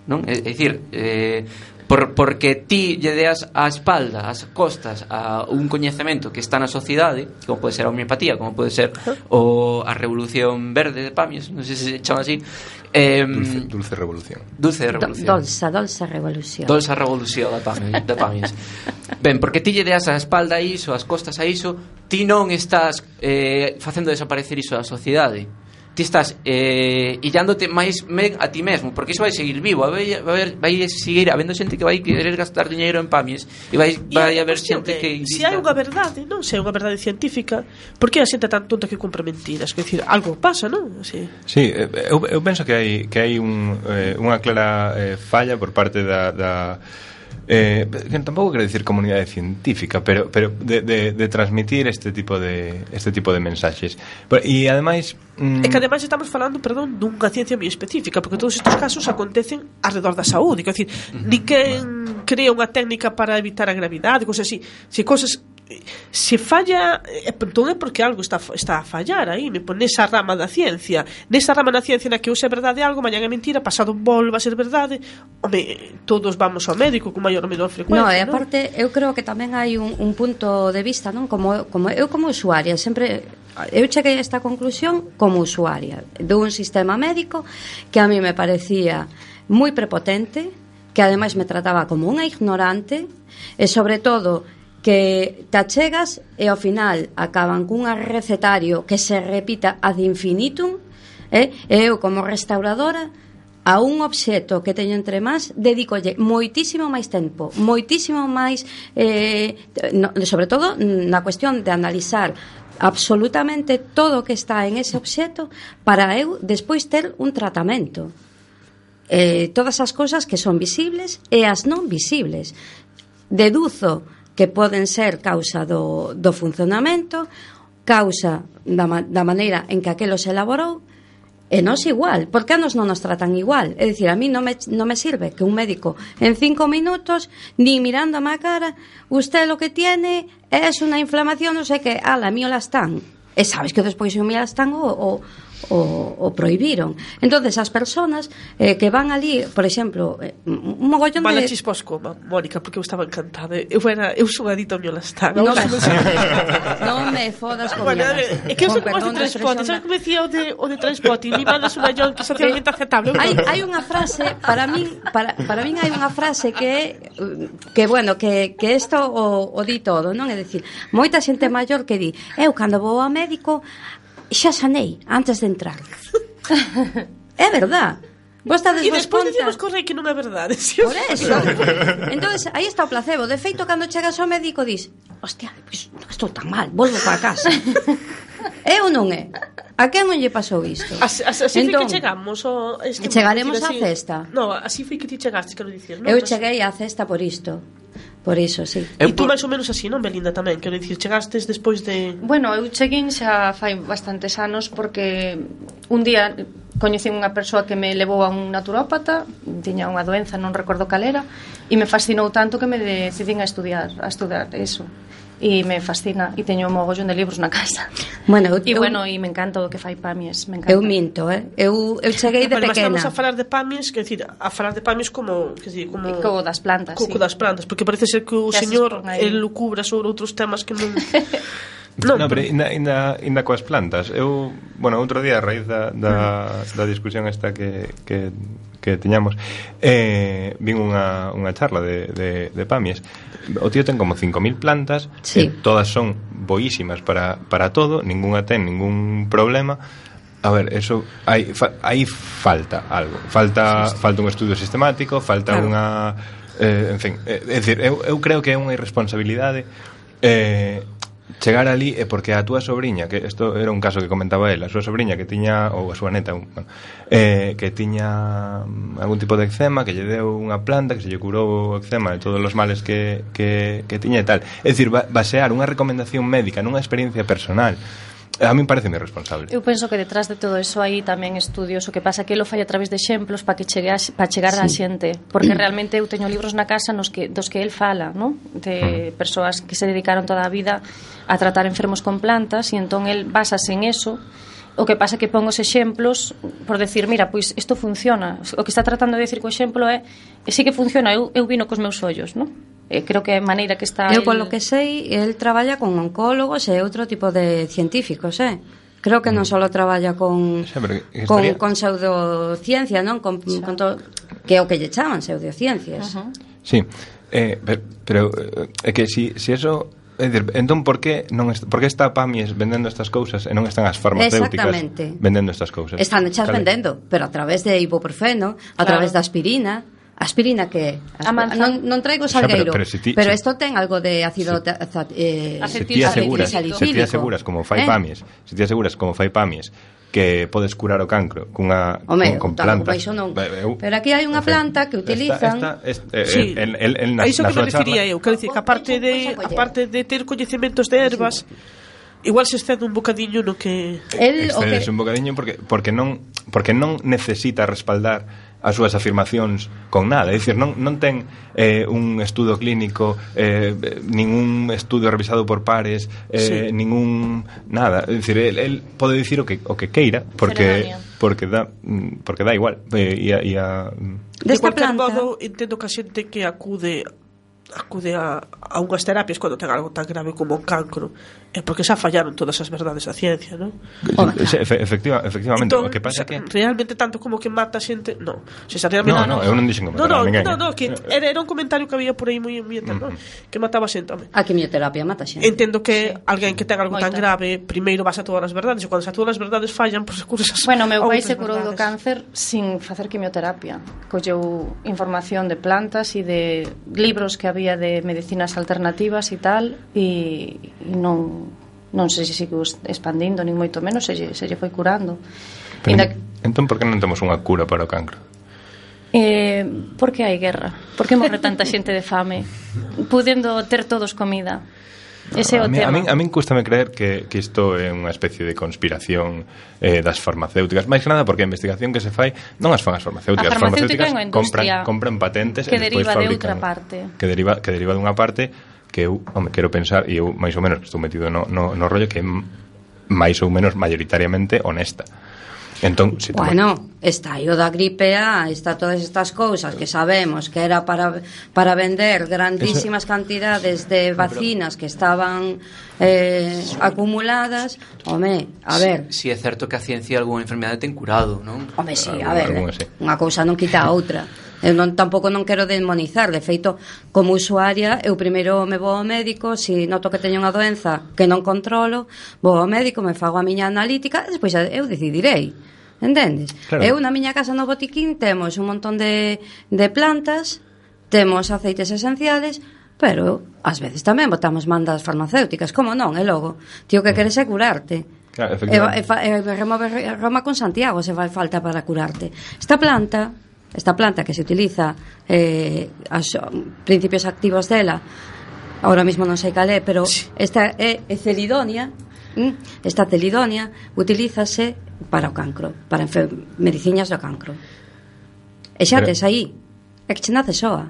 non? É, é dicir, eh, por, porque ti lle deas a espalda, as costas a un coñecemento que está na sociedade, como pode ser a homeopatía, como pode ser o a Revolución Verde de Pamias, non sei se se chama así, eh, dulce, dulce Revolución. Dulce Revolución. Do, dolsa, dolsa Revolución. Dolsa Revolución da Pamias, da Pamias. Ben, porque ti lle deas a espalda a iso, as costas a iso, ti non estás eh, facendo desaparecer iso da sociedade. Ti estás eh, illándote máis ben a ti mesmo, porque iso vai seguir vivo, vai, vai, vai seguir habendo xente que vai querer gastar diñeiro en Pamias e vai, vai haber xente que se hai unha verdade, non se hai unha verdade científica, por que a xente tan tonta que compra mentiras? Quer dicir, algo pasa, non? Sí, sí, eu, eu penso que hai que hai un, eh, unha clara eh, falla por parte da, da Eh, que tampouco quero dicir comunidade científica, pero pero de, de, de transmitir este tipo de este tipo de mensaxes. E ademais, mm... é que ademais estamos falando, perdón, dunha ciencia moi específica, porque todos estes casos acontecen alrededor da saúde, quer dicir, uh-huh. ninguén crea unha técnica para evitar a gravidade, cosas así. Se cosas se falla, entón é porque algo está está a fallar aí, me pon nesa rama da ciencia, nesa rama da ciencia na que hoxe é verdade algo, mañan é mentira, pasado volva a ser verdade. Home, todos vamos ao médico con maior ou menor frecuencia. No, e aparte, eu creo que tamén hai un, un punto de vista, non? Como, como eu como usuaria, sempre eu cheguei a esta conclusión como usuaria dun sistema médico que a mí me parecía moi prepotente, que ademais me trataba como unha ignorante e sobre todo que te achegas e ao final acaban cun recetario que se repita ad infinitum, eh? E eu como restauradora a un obxecto que teño entre mans dedícolle moitísimo máis tempo, moitísimo máis eh, no, sobre todo na cuestión de analizar absolutamente todo o que está en ese obxecto para eu despois ter un tratamento, eh, todas as cousas que son visibles e as non visibles. Deduzo que poden ser causa do, do funcionamento, causa da, da maneira en que aquelo se elaborou, e nos igual, porque a nos non nos tratan igual. É dicir, a mí non me, non me sirve que un médico en cinco minutos, ni mirando a má cara, usted lo que tiene es una inflamación, non sei que, ala, miola están. E sabes que despois o miola están o, o O, o prohibiron. Entonces as personas eh, que van ali, por exemplo, eh, un mogollón Mala de... chisposco, Mónica, porque eu estaba encantada. Eu era, eu sou adicta ao Miolastán. Non me, non me fodas con bueno, é que eu sou como de Transpotting. Sabes como decía o de, o de Transpotting? Mi madre é unha yonki socialmente aceptable. Hai, hai unha frase, para min para, para min hai unha frase que que bueno, que, que isto o, o di todo, non? É dicir, moita xente maior que di, eu cando vou ao médico xa sanei antes de entrar. É verdad. Vos estades e despois conta... decimos corre que non é verdade. Si por eso. Entonces, aí está o placebo. De feito, cando chegas ao médico dis, hostia, pois non estou tan mal, volvo para casa. É ou non é? A quen non lle pasou isto? As, as, así entón, foi que chegamos o, este chegaremos á cesta. No, así foi que ti chegaste, quero dicir, non? Eu cheguei á cesta por isto. Por iso, sí. E tú máis ou menos así, non, Belinda, tamén? Quero dicir, chegastes despois de... Bueno, eu cheguei xa fai bastantes anos porque un día coñecín unha persoa que me levou a un naturópata, tiña unha doenza, non recordo cal era, e me fascinou tanto que me decidín a estudiar, a estudar eso. E me fascina, e teño un mogollón de libros na casa. Bueno, e bueno, e me encanta o que fai Pamies, me encanta. Eu minto, eh. Eu eu cheguei de bueno, pequena. Estamos a falar de Pamies, quer decir, a falar de Pamies como, quer decir, como como das plantas, co, sí. Co das plantas, porque parece ser que o que señor el lucubra sobre outros temas que non Non, no, pero inda, inda, inda coas plantas. Eu, bueno, outro día a raíz da, da, da discusión esta que, que, que teñamos, eh, vin unha, unha charla de, de, de Pamies. O tío ten como cinco mil plantas, sí. E todas son boísimas para, para todo, ninguna ten ningún problema. A ver, eso hai, fa, aí falta algo. Falta, sí, sí. falta un estudio sistemático, falta claro. unha eh, en fin, é eh, dicir, eu, eu creo que é unha irresponsabilidade eh chegar ali é porque a túa sobriña, que isto era un caso que comentaba ela, a súa sobriña que tiña, ou a súa neta, un, bueno, eh, que tiña algún tipo de eczema, que lle deu unha planta que se lle curou o eczema de todos os males que, que, que tiña e tal. É dicir, basear unha recomendación médica nunha experiencia personal, a mí parece moi responsable. Eu penso que detrás de todo eso hai tamén estudios, o que pasa que lo fai a través de exemplos para que chegue a, para chegar sí. a xente, porque realmente eu teño libros na casa nos que, dos que el fala, ¿no? De persoas que se dedicaron toda a vida a tratar enfermos con plantas, e entón el basase en eso O que pasa é que pon os exemplos por decir, mira, pois isto funciona. O que está tratando de decir co exemplo é e sí que funciona, eu, eu vino cos meus ollos, non? Eh, creo que é a maneira que está Eu, el... polo que sei, el traballa con oncólogos e outro tipo de científicos, eh? Creo que non só traballa con Xa, pero que con, estaría- con pseudociencia, non? Con, con to, que é o que lle chaman pseudociencias. Uh-huh. Sí, eh, pero, pero eh, é que si, si eso... É dicir, entón, por que, non est, por que está Pamies vendendo estas cousas e non están as farmacéuticas Exactamente. vendendo estas cousas? Están hechas Cal é? vendendo, pero a través de ibuprofeno, a Claro. través da aspirina. Aspirina que A manzana. non, non traigo Xa, pero- salgueiro, pero pero, si ti- pero si- isto ten algo de ácido ta- za- eh, Se Acetil- ti aseguras, acetil se ti aseguras como fai Eh? Pamies, se ti aseguras como fai Pamies que podes curar o cancro cunha Home, con, con tal, plantas. baixo non. Eh, eu- Pero aquí hai unha planta que utilizan. Esta, esta, esta, eh, Sí. el, el, el, A iso na que me súa refería charla- eu, quero dicir que aparte de aparte de ter coñecementos de ervas, igual se excede un bocadiño no que El, o Excedes que, un bocadiño porque porque non porque non necesita respaldar as súas afirmacións con nada, é dicir, non non ten eh, un estudo clínico, eh, ningún estudio revisado por pares, eh, Sí. ningún nada, é dicir, el, el pode dicir o que o que queira porque Ceremonia. porque dá mm, porque dá igual, eh, e a, e a mm, de desta cualquier planta. modo entendo que a xente que acude acude a, a unhas terapias cando ten algo tan grave como o cancro é porque xa fallaron todas as verdades da ciencia, non? Home, se- efe- efectiva, efectivamente, Entón, o que pasa é que realmente tanto como que mata a xente, non. Se xa realmente No, no, eu non dixen que No, matara no, a ninguén. no, no, que era, era un comentario que había por aí moi moi eterno, que mataba a xente, home. a quimioterapia mata xente. Entendo que Sí. alguén que ten algo tan Moita. grave primeiro vas a todas as verdades e cando xa todas as verdades fallan, pois recurres as Bueno, meu a pai outras se curou do verdades. cáncer sin facer quimioterapia. Colleu información de plantas e de libros que había de medicinas alternativas e tal e, e non non sei se sigo expandindo nin moito menos, se, lle- se lle foi curando. pero, Inda, entón por que non temos unha cura para o cancro? eh, por que hai guerra? Por que morre tanta xente de fame? Pudendo ter todos comida. Ese é o a, mí, a, tema. min, a min cústame creer que, que isto é unha especie de conspiración eh, das farmacéuticas, máis que nada porque a investigación que se fai non as fan as farmacéuticas, A as farmacéuticas farmacéutica é unha industria compran, compran patentes que e despois deriva de fabrican, outra parte. que deriva, que deriva dunha parte que eu, home, quero pensar e eu máis ou menos que estou metido no, no, no rollo que é m- máis ou menos mayoritariamente honesta. Entón, si temos- Bueno, está aí o da gripe A, está todas estas cousas que sabemos que era para para vender grandísimas cantidades de vacinas que estaban eh, acumuladas. Home, a ver, Si, si é certo que a ciencia algunha enfermedade ten curado, non? home, sí, Algún- a ver, algunha sí. unha cousa non quita a outra. Eu non, tampouco non quero demonizar. De feito, como usuaria, eu primeiro me vou ao médico, se noto que teño unha doenza que non controlo, vou ao médico, me fago a miña analítica e despois eu decidirei. Entendes? Claro. Eu na miña casa no botiquín temos un montón de, de plantas, temos aceites esenciales, pero ás veces tamén botamos mandas farmacéuticas, como non, e logo, tío, que queres é curarte. Claro, E, efectivamente. e, fa- e remove Roma con Santiago se fai falta para curarte. Esta planta, esta planta que se utiliza eh, as principios activos dela, ahora mismo non sei cal é, pero esta é, é celidonia, ¿m? Esta celidonia utilízase para o cancro, para enfer- medicinas do cancro. E xa Pero- tes aí, é que che nace soa.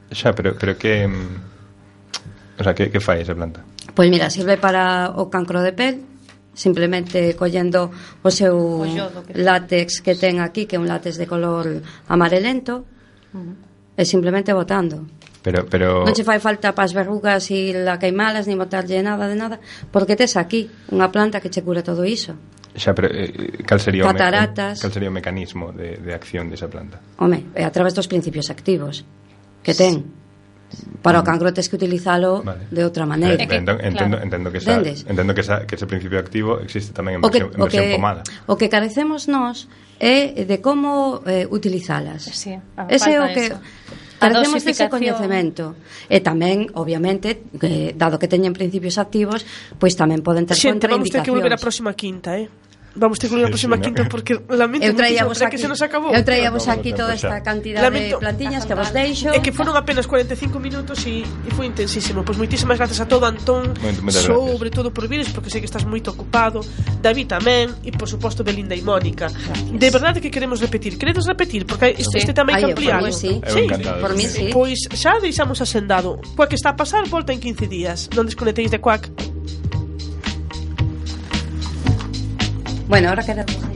Xa, pero, pero que mm, o sea, que, que fai esa planta? Pois mira, sirve para o cancro de pel, simplemente collendo o seu O yodo que- látex que ten aquí, que é un látex de color amarelento, e simplemente botando. Pero, pero Non che fai falta para as verrugas e la queimalas, ni botarlle nada de nada, porque tes aquí unha planta que che cura todo iso. xa, pero eh, cal sería o me- Cataratas. cal sería o mecanismo de, de acción desa planta? Home, é a través dos principios activos que ten. Para o cancro tes que utilizalo Vale. de outra maneira. É que- entendo, entendo, claro. entendo que esa, Entendes? entendo que, esa, que ese principio activo existe tamén en O que, versión, en o, versión que, pomada. o que carecemos nós é de como eh, utilizalas. Sí, a- Ese é o falta que eso. carecemos A dese dosificación. coñecemento. E tamén, obviamente, que, dado que teñen principios activos, pois tamén poden ter Xente, vamos ter que volver a contraindicacións. próxima quinta, eh? Vamos ter que volver a Sí, próxima sí, no. quinta porque lamento Eu traía muchísimo, vos é que aquí, se nos acabou. eu traía vos Acabou aquí o tempo toda xa. esta cantidad Lamento. de plantiñas que vos deixo. É que foron apenas cuarenta e cinco minutos e, e foi intensísimo. Pois moitísimas gracias a todo Antón, Moito- moitas sobre todo por vires, porque sei que estás moito ocupado, David tamén e por suposto Belinda e Mónica. De verdade que queremos repetir, queredes repetir porque este, Sí. este tamén Ai, que por amplialo. mí sí. Eu encantado. Por mí sí. Pois xa deixamos asendado. Coa que está a pasar volta en quince días. Non desconectéis de Quack. Bueno, ahora queremos